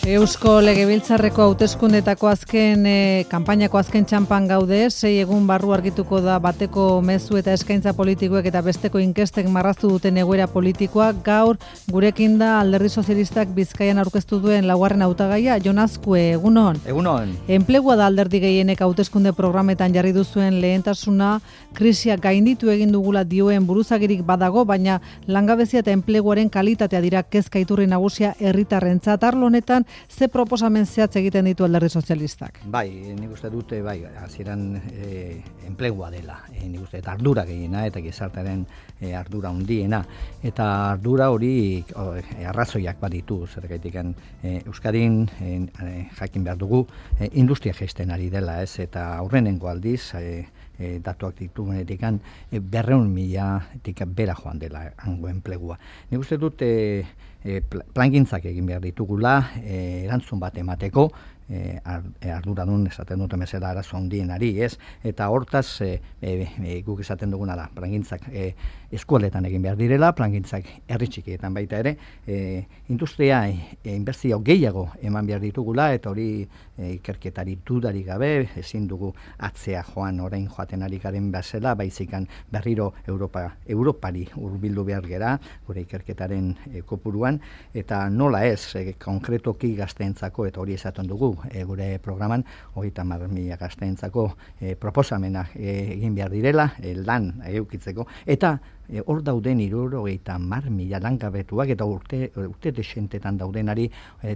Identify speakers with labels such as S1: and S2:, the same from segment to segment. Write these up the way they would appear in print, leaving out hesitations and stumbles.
S1: Eusko Legebiltzarreko hauteskundetako azken kanpainako azken txanpan gaude, 6 egun barru argituko da bateko mezu eta eskaintza politikoek eta besteko inkestek marraztu duten egoera politikoa. Gaur gurekin da Alderdi Sozialistak Bizkaian aurkeztu duen laugarren hautagaia, Jon Azkue, egunon.
S2: Egunon.
S1: Enplegua da alderdi gehienek hauteskunde programetan jarri duzuen lehentasuna, krisiak gainditu egin dugula dioen buruzagirik badago, baina langabezia eta enpleguaren kalitatea dira kezka iturri nagusia herritarrentzat. Arlo honetan ze proposamen zehatz egiten ditu Alderdi Sozialistak?
S2: Bai, nik uste dute, hasieran enplegua dela, nik uste, eta ardura gehiena, eta gizartearen ardura handiena, eta ardura hori arrazoiak baditu, zergaitik Euskadin jakin behar dugu, industria jaisten ari dela, ez, eta aurrenengo aldiz, datuak ditugunetik 200.000 bera joan dela hango enplegua. Nik uste dut plangintzak egin behar ditugula, erantzun bat emateko, arduradun esaten dut bezala arazo handienari, ez? Eta hortaz guk esaten duguna da, plangintzak eskualetan egin behar direla, plangintzak herri txikietan baita ere, industria inbertsio gehiago eman behar ditugula, eta hori ikerketari dudarik gabe, ezin dugu atzea joan orain joaten ari garen bezala, baizikan berriro Europari hurbildu behar gera, gure ikerketaren kopuruan, eta nola ez, konkretoki gazteentzako, eta hori esaten dugu, gure programan, 30.000 gazteentzako proposamenak egin behar direla, lan eukitzeko, eta hor dauden 70.000 langabetuak eta urte desentetan daudenari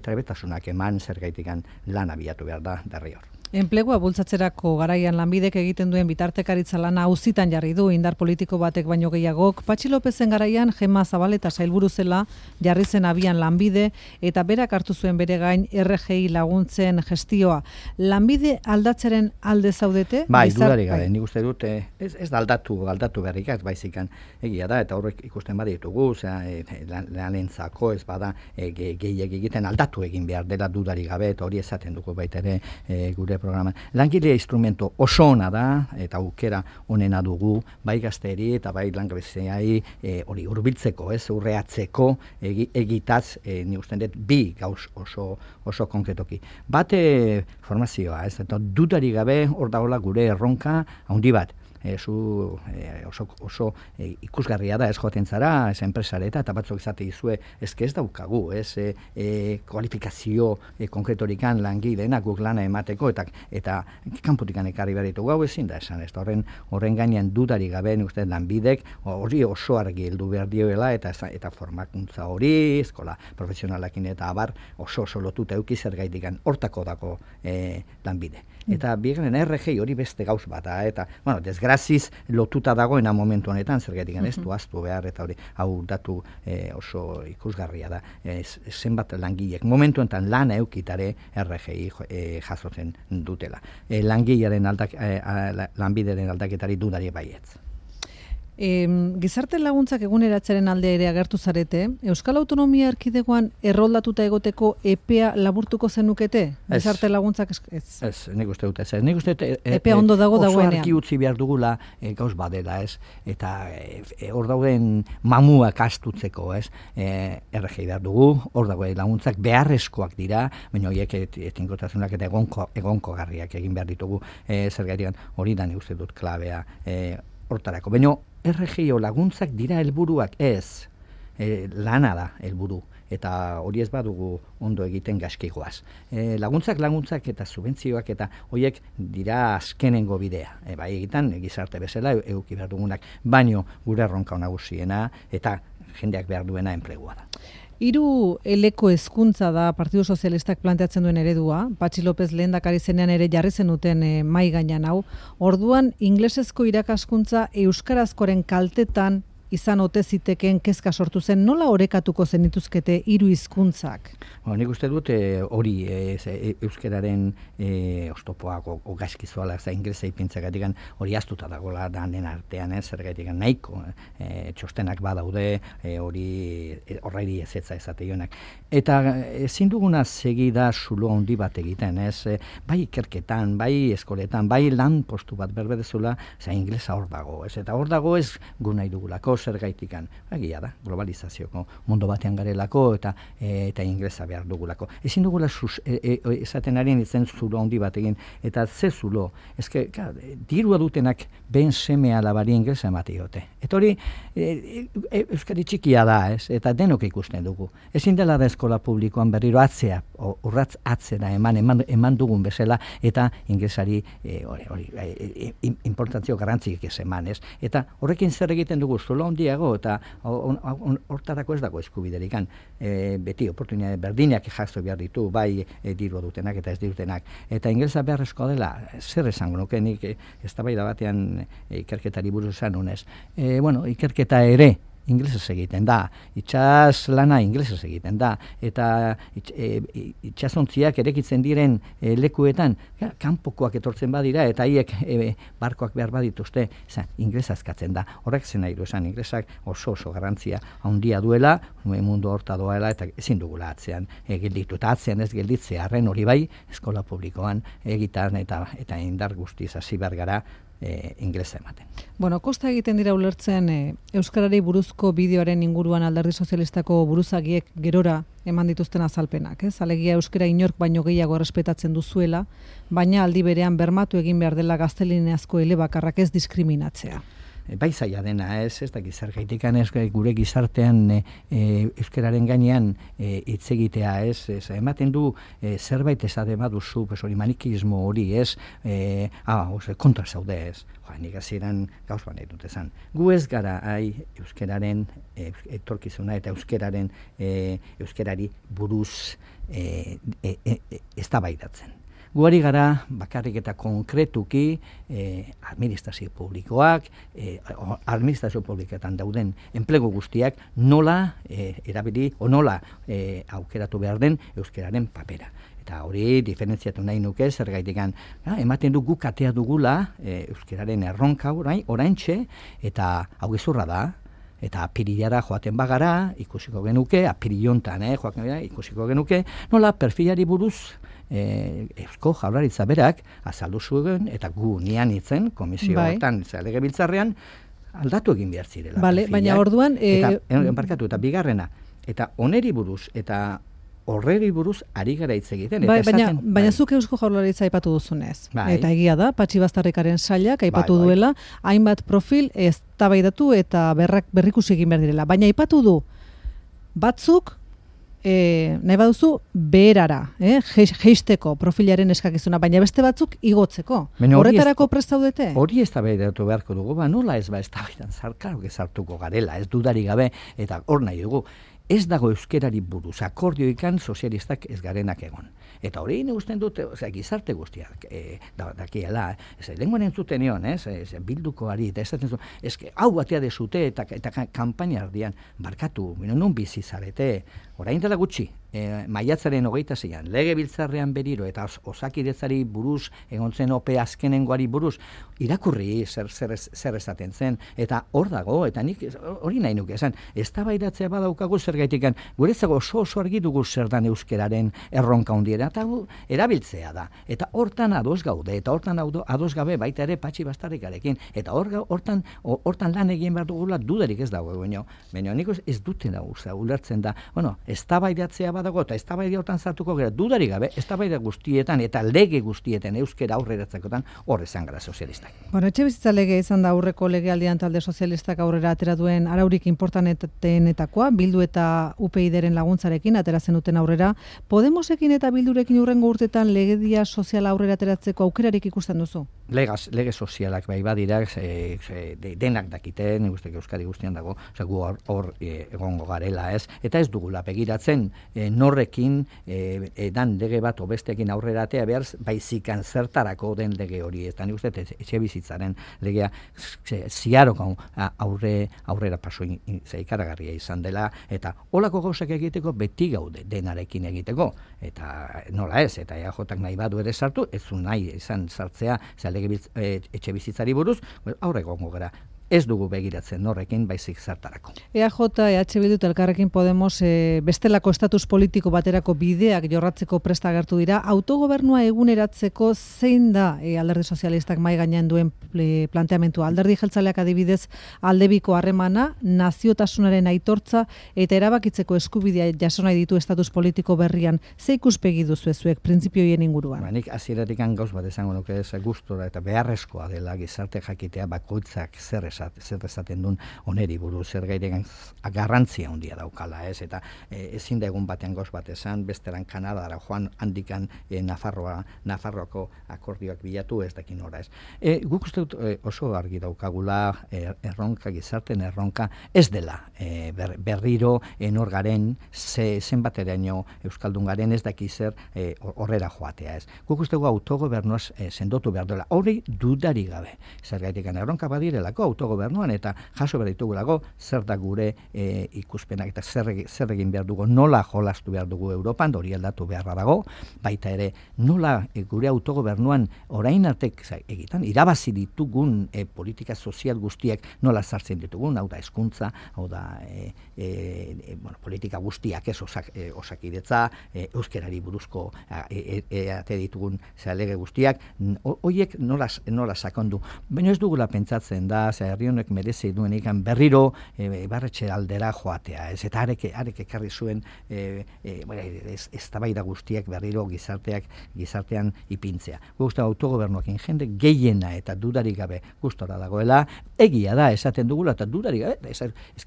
S2: trebetasunak eman zergaitikan lan abiatu behar da derrior.
S1: Enplegua bultzatzerako garaian Lanbidek egiten duen bitartekaritza lana auzitan jarri du indar politiko batek baino gehiagok. Patxi Lopezen garaian Gema Zabaleta sailburu zela jarri zen abian Lanbide eta berak hartu zuen bere gain RGI laguntzen gestioa. Lanbide aldatzeren alde zaudete?
S2: Bai, dudarik gabe, nik uste dut ez da aldatu berrikaz baizikan egia da, eta horrek ikusten baditugu, lanentzako ez bada gehiek egiten aldatu egin behar dela dudarik gabe, eta hori esaten dugu baita ere gure programa. Langilea instrumento oso ona da, eta aukera onena dugu, bai gazteri eta bai langabeziai hori hurbiltzeko, ez, urreatzeko egitaz, ni usten dut, bi gauz oso konkretoki. Bate formazioa, ez, eta dudari gabe hor dagoela gure erronka handi bat. Oso ikusgarria da ez joaten zara, ez enpresareta, eta batzuk izate izue, ez daukagu, ez kualifikazio konkretorikan langileenak guk lana emateko, eta kanpotikan ekarri behar ditugu, hau ezin da esan, ez da horren gainean dudari gabe, uste Lanbidek hori oso argi heldu behar dioela, eta formakuntza hori, eskola profesionalakin eta abar, oso lotuta euki zergaitikan hortako dako Lanbide. Eta bigarren RGI hori beste gauz bat, eta, desgraziz lotuta dagoena momentu honetan, zergatik ez du ahaztu behar, eta hori, hau datu oso ikusgarria da, zenbat langilek momentu honetan lana eukitare RGI jasotzen dutela. Langilearen Lanbideren aldaketari dudari baietz.
S1: Gizarte laguntzak eguneratzaren alde ere agertu zarete, Euskal Autonomia Erkidegoan erroldatuta egoteko epea laburtuko zenukete? Gizarte laguntzak ez?
S2: Ez, nik uste dut ez. Nik uste
S1: epea ondo dago dagoenean.
S2: Oso argi utzi behar dugula gauz badela, ez? Eta hor dauden mamuak astutzeko, ez? RGI behar dugu, hor dagoen laguntzak beharrezkoak dira, baina horiek etinkotazunak eta egonko garriak egin behar ditugu, zergatian hori da nik uste dut klabea hortarako. Baina RGI laguntzak dira helburuak ez, lana da helburu, eta hori ez badugu ondo egiten gaskigoaz. Laguntzak eta subentzioak eta horiek dira azkenengo bidea. Bai egitan, gizarte bezala eduki behar dugunak, baino gure erronka nagusiena eta jendeak behar duena enplegua da.
S1: 3 eleko hezkuntza da Partidu Sozialistak planteatzen duen eredua, Patxi Lopez lehendakari zenean ere jarri zenuten mai gainean hau. Orduan ingelesezko irakaskuntza euskarazkoren kaltetan izan ote zitekeen kezka sortu zen, nola orekatuko zenituzkete 3 hizkuntzak?
S2: Nik uste dut hori euskararen oztopoak o gaizkizuala, ingelesa ipintzagatik hori astuta dagoela danen artean, zergatik nahiko txostenak badaude, horreiri ezetza ezateionak. Eta ezin duguna segida zulo handi bat egiten, bai ikerketan, bai eskoletan, bai lan postu bat berbedezula, ingelesa hor dago, eta hor dago ez gu nahi dugulako, zergaitikan. Egia da, globalizazioko mundu batean garelako eta inglesa behar dugulako. Ezin dugula esaten ari nintzen zulo handi bat egin, eta ze zulo, ezke, dirua dutenak ben seme alabari inglesa emate diote. Eta hori, euskari txikia da, ez? Eta denok ikusten dugu. Ezin dela da eskola publikoan berriro urratz atzera eman dugun bezala, eta inglesari importantzio garrantzik ez eman, ez? Eta horrekin zer egiten dugu zulo handiago, eta hortarako ez dago eskubiderikan. Beti oportunitate berdinak jaso behar ditu, bai dirua dutenak eta ez dirutenak. Eta ingelesa beharrezkoa dela, zer esango nuke nik eztabaida batean ikerketari buruz esan honez. Ikerketa ere inglesez egiten da, itsas lana inglesez egiten da, eta itsasontziak erekitzen diren lekuetan, kanpokoak etortzen badira, eta haiek barkoak behar badituzte, inglesa eskatzen da. Horrek zen nahi du esan, inglesak oso garrantzia handia duela, mundu horta doela, eta ezin dugula atzean gelditu, eta atzean ez gelditzea, arren hori bai, eskola publikoan egitan eta indar guztiz hasi behar gara inglesa ematen.
S1: Kosta egiten dira ulertzen euskarari buruzko bideoaren inguruan Alderdi Sozialistako buruzagiek gerora eman dituzten azalpenak, ez? Alegia euskara inork baino gehiago errespetatzen duzuela, baina aldi berean bermatu egin behar dela gaztelaniazko elebakarrak ez diskriminatzea.
S2: Bai zaila dena, ez dakit zergaitikan gure gizartean euskararen gainean hitz egitea, ematen du zerbait esaten baduzu, hori manikismo hori, kontra zaude, ez. Nik hasieran gauz nahi dut esan. Gu ez gara euskararen etorkizuna eta euskarari buruz eztabaidatzen. Guari gara bakarrik eta konkretuki administrazio publikoak, administrazio publiketan dauden enplegu guztiak nola erabili o nola aukeratu behar den euskararen papera. Eta hori diferentziatu nahi nuke zergaitikan ematen du guk atea dugula euskararen erronka oraintxe, eta hau gezurra da. Eta apirilara joaten bagara, ikusiko genuke, apirilontan ikusiko genuke, nola perfilari buruz Eusko Jaurlaritza berak azaldu zuen, eta gu nian itzen, komisio hortan, legebiltzarrean, aldatu egin behar zirela.
S1: Baina orduan...
S2: Eta bigarrena, eta oneri buruz, eta horreri buruz ari gara hitz egiten.
S1: Baina zuk Eusko Jaurlaritza aipatu duzunez. Eta egia da, Patxi Baztarrikaren sailak aipatu duela, hainbat profil eztabaidatu eta berrikusi egin behar direla. Baina aipatu du, batzuk, nahi baduzu, beherara, jeisteko profilaren eskakizuna, baina beste batzuk igotzeko. Horretarako prest zaudete?
S2: Hori eztabaidatu beharko dugu, nola ez eztabaidan sartuko garela, ez dudari gabe, eta hor nahi dugu. Ez dago euskerari buruz, akordioikan sozialistak ez garenak egon. Eta hori usten dut, gizarte guztiak dakiela, lenguan entzuten nion, bilduko ari, eta esaten zuen, hau batea dezute eta kanpaina ardian, barkatu, non bizi zarete, orain dela gutxi, maiatzaren 26an, legebiltzarrean beriro, eta osakidetzari buruz, egontzen ope azkenengoari buruz, irakurri zer esaten zen, eta hor dago, eta nik hori nahi nuke esan, eztabaidatzea badaukagu zergaitikan, guretzako oso argi dugu zer dan euskeraren erronka hundiera, eta erabiltzea da. Eta hortan ados gaude, eta hortan ados gabe baita ere Patxi Baztarrikarekin, eta hortan lan egin behar dugula dudarik ez dago baina nik ez dutena ulertzen da, eztabaidatzea badago, eta eztabaida hortan sartuko gara dudarik gabe, eztabaida guztietan eta lege guztietan euskera aurreratzekotan hor esan gara sozialistak.
S1: Etxebizitza lege izan da aurreko legealdian talde sozialistak aurrera atera duen araurik importantenetakoa, Bildu eta UPyDren laguntzarekin atera zenuten aurrera. Podemosekin eta Bildurekin hurrengo urtetan legedia soziala aurrera ateratzeko aukerarik ikusten duzu?
S2: Lege sozialak bai badira, denak dakiten, Euskadi guztian dago, gu hor egongo garela, ez? Eta ez dugula begiratzen norrekin dan lege bat obestekin aurreratea behar baizikan zertarako den lege hori. Eta nik uste etxebizitzaren legea ziaroko aurrera paso ikaragarria izan dela, eta holako gauzak egiteko beti gaude denarekin egiteko, eta nola ez, eta EAJak nahi badu ere sartu, ez zu nahi izan sartzea etxe bizitzari buruz, aurre gongo gara. ez dugu begiratzen norrekin, baizik zertarako.
S1: EAJ, EH Bildu eta Elkarrekin Podemos bestelako estatus politiko baterako bideak jorratzeko presta agertu dira. Autogobernua eguneratzeko zein da Alderdi Sozialistak mahai gainean duen planteamentua? Alderdi jeltzaleak adibidez aldebiko harremana, naziotasunaren aitortza eta erabakitzeko eskubidea jaso nahi ditu estatus politiko berrian. Ze ikuspegi duzu zuek printzipioien inguruan?
S2: Nik hasieratik gauz bat esango nuke ez gustora eta beharrezkoa dela gizarte jakitea bakoitzak zer esaten duen oneri buruz, zer gairegan garrantzia handia daukala, ez? Eta ezin da egun batean gauz bat esan, besteran Kanadara joan handikan Nafarroako akordioak bilatu ez dakin ora, ez? Guk uste dut oso argi daukagula erronka, gizarten erronka ez dela berriro enor garen, zenbateraino Euskaldun garen ez daki zer horrera joatea, ez? Guk uste gu autogobernuaz sendotu behar dela, hori dudari gabe. Zergaitikan erronka badirelako autogobernuan eta jaso behar ditugulako zer da gure ikuspenak eta zer egin behar dugu, nola jolastu behar dugu Europan, hori aldatu beharra dago, baita ere nola gure autogobernuan orain artek egiten, irabazi ditugun politika sozial guztiak nola sartzen ditugun, hau da hezkuntza, hau da politika guztiak ez osakidetza, euskerari buruzko ate ditugun lege guztiak, horiek nola sakondu. Baina ez dugula pentsatzen da, herri honek merezi duen ikan berriro barretxe aldera joatea, ez? Eta arek ekarri zuen eztabaida guztiak berriro gizartean ipintzea. Guztua autogobernuakin jende gehiena eta dudarik gabe gustora dagoela, egia da esaten dugula eta dudarik gabe, ez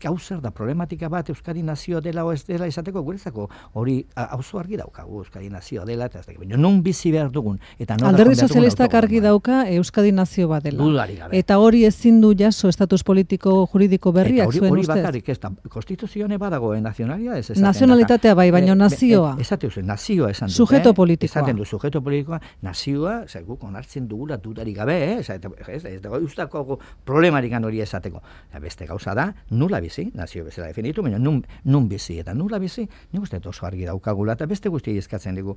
S2: hau zer da problematika bat Euskadi nazioa dela o ez dela esateko guretzako hori auzo argi daukagu Euskadi nazioa dela eta ez dakit, baina non bizi behar dugun eta
S1: Alderdi Sozialistak argi dauka Euskadi nazio bat dela.
S2: Dudarik gabe.
S1: Eta hori ezin du jaso estatus politiko juridiko berriak zuen ustez.
S2: Hori bakarrik ez da, konstituzioane badago nazionalia ez esaten.
S1: Nazionalitatea bai, baina nazioa.
S2: Esate uzen, nazioa esan dut.
S1: Sujeto politikoa.
S2: Esaten du, sujeto politikoa, nazioa, guk onartzen dugula dudarik gabe, ez dago ustako problemarik hori esateko. Beste gauza da, nula bizi, nazio bezala definitu, baina nun bizi, eta nula bizi, nik uste oso argi daukagula, eta beste guztiak eskatzen dugu,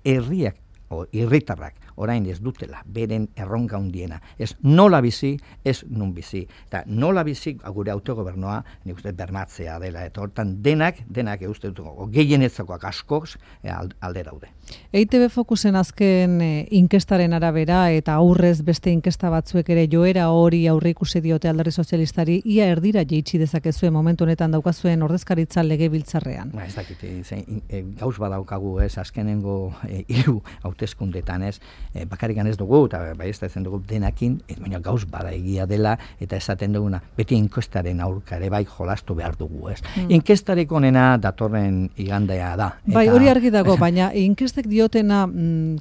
S2: herriak, herritarrak orain ez dutela, beren erronka handiena. Ez nola bizi, ez nun bizi. Eta nola bizi, gure autogobernua, nik uste bermatzea dela, eta hortan denak uste dutuko, gehienetzakoak askoz alde daude.
S1: EITB Fokusen azken inkestaren arabera, eta aurrez beste inkesta batzuek ere joera hori aurre ikusi diote Alderdi Sozialistari, ia erdira jeitsi dezakezuen momentu honetan daukazuen ordezkaritza legebiltzarrean.
S2: Ez dakit, gauz badaukagu, ez, azkenengo 3 hauteskundetan, ez, bakarrikan ez dugu, eta bai ez dugu denakin, baina gauz bada egia dela, eta esaten duguna, beti inkestaren aurka ere bai jolastu behar dugu, ez. Inkestarik onena datorren igandea da.
S1: Bai, hori argi dago, baina inkestek diotena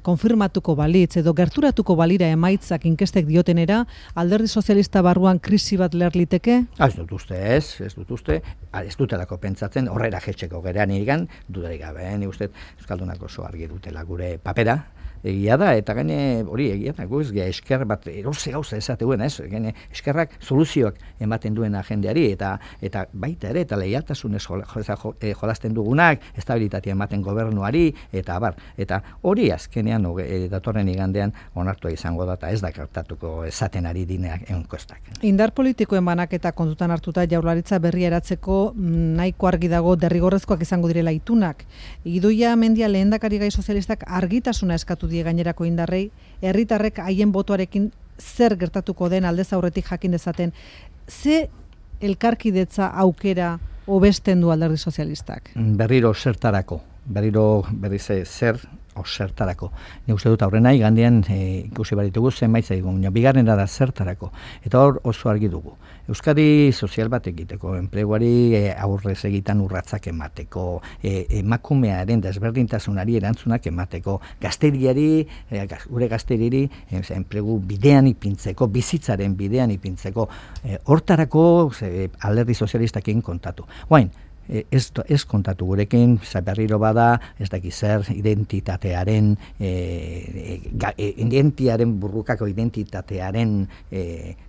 S1: konfirmatuko balitz, edo gerturatuko balira emaitzak inkestek diotenera, Alderdi Sozialista barruan krisi bat leher liteke?
S2: Ez dut uste, ez dutelako pentsatzen, horrera jetxeko gerean irigan, dudarik gabe, ni uste, Euskaldunak oso argi dutela gure papera, egia da, eta gaine hori egia da, guz, esker bat, eroze gauza esatuen, ez? Gaine eskerrak soluzioak ematen duen jendeari, eta baita ere, eta leialtasunez jolasten dugunak, estabilitatea ematen gobernuari, eta hori azkenean datorren igandean onartua izango da, eta ez da gertatuko esaten ari dineak enkostak.
S1: Indar politikoen banaketa kontutan hartuta Jaurlaritza berria eratzeko nahiko argi dago derrigorrezkoak izango direla itunak. Idoia Mendia lehendakari gai sozialistak argitasuna eskatu die gainerako indarrei, herritarrek haien botoarekin zer gertatuko den aldez aurretik jakin dezaten. Ze elkarkidetza aukera hobesten du Alderdi Sozialistak?
S2: Berriro zer zertarako. Ni uste dut aurrena igandean ikusi baritugu zenbait zaigu, bigarrena da zertarako. Eta hor oso argi dugu. Euskadi sozial bat egiteko, enpleguari aurrez egitan urratzak emateko, emakumearen desberdintasunari erantzunak emateko, gure gazteriri enplegu bidean ipintzeko, bizitzaren bidean ipintzeko, hortarako Alderdi Sozialistakin kontatu. Guain, ez kontatu gurekin, berriro bada, ez daki zer, identitatearen, burrukako identitatearen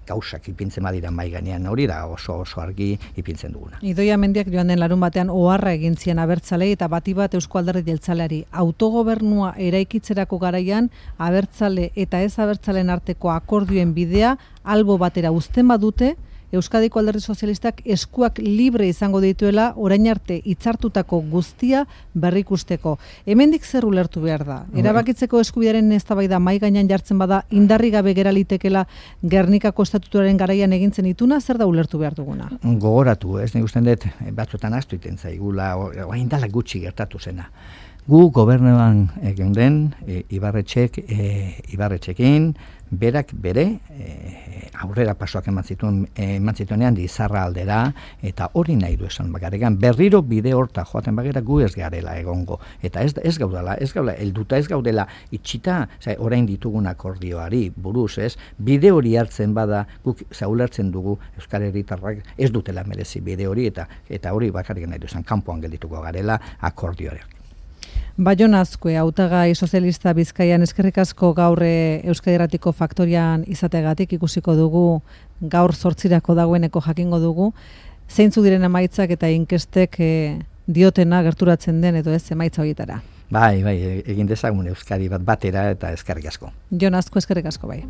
S2: gauzak ipintzen badira mai gainean, hori da oso argi ipintzen duguna.
S1: Idoia Mendiak joan den larun batean oharra egin zien abertzalei eta bati bat Eusko Alderdi Jeltzaleari. Autogobernua eraikitzerako garaian abertzale eta ez abertzalen arteko akordioen bidea albo batera uzten badute, Euskadiko Alderdi Sozialistak eskuak libre izango dituela orain arte hitzartutako guztia berrikusteko. Hemendik zer ulertu behar da? Erabakitzeko eskubidearen eztabaida mahai gainean jartzen bada indarri gabe gera litekela Gernikako estatutuaren garaian egintzen ituna, zer da ulertu behar duguna?
S2: Gogoratu, nik uste dut batzuetan ahaztu iten zaigula, orain dela gutxi gertatu zena. Gu gobernuan geunden Ibarretxekin, berak bere aurrera pasoak eman zituenean Lizarra aldera, eta hori nahi du esan bagaregan, berriro bide horta joaten bagera gu ez garela egongo, eta ez gaudela helduta, ez gaudela itxita, orain ditugun akordioari buruz, bide hori hartzen bada, guk zaulertzen dugu Euskal Herritarrak ez dutela merezi bide hori, eta hori bakarrik nahi du esan, kanpoan geldituko garela akordioak.
S1: Baion Azkue, hautagai sozialista Bizkaian, eskerrik asko gaur Euskadi Irratiko Faktorian izategatik, ikusiko dugu, gaur 8 dagoeneko jakingo dugu, zeintzuk diren emaitzak eta inkestek diotena gerturatzen den edo ez emaitza horietara.
S2: Bai, egin dezagun Euskadi batera eta eskerrik asko.
S1: Jon Azkue, eskerrik asko bai.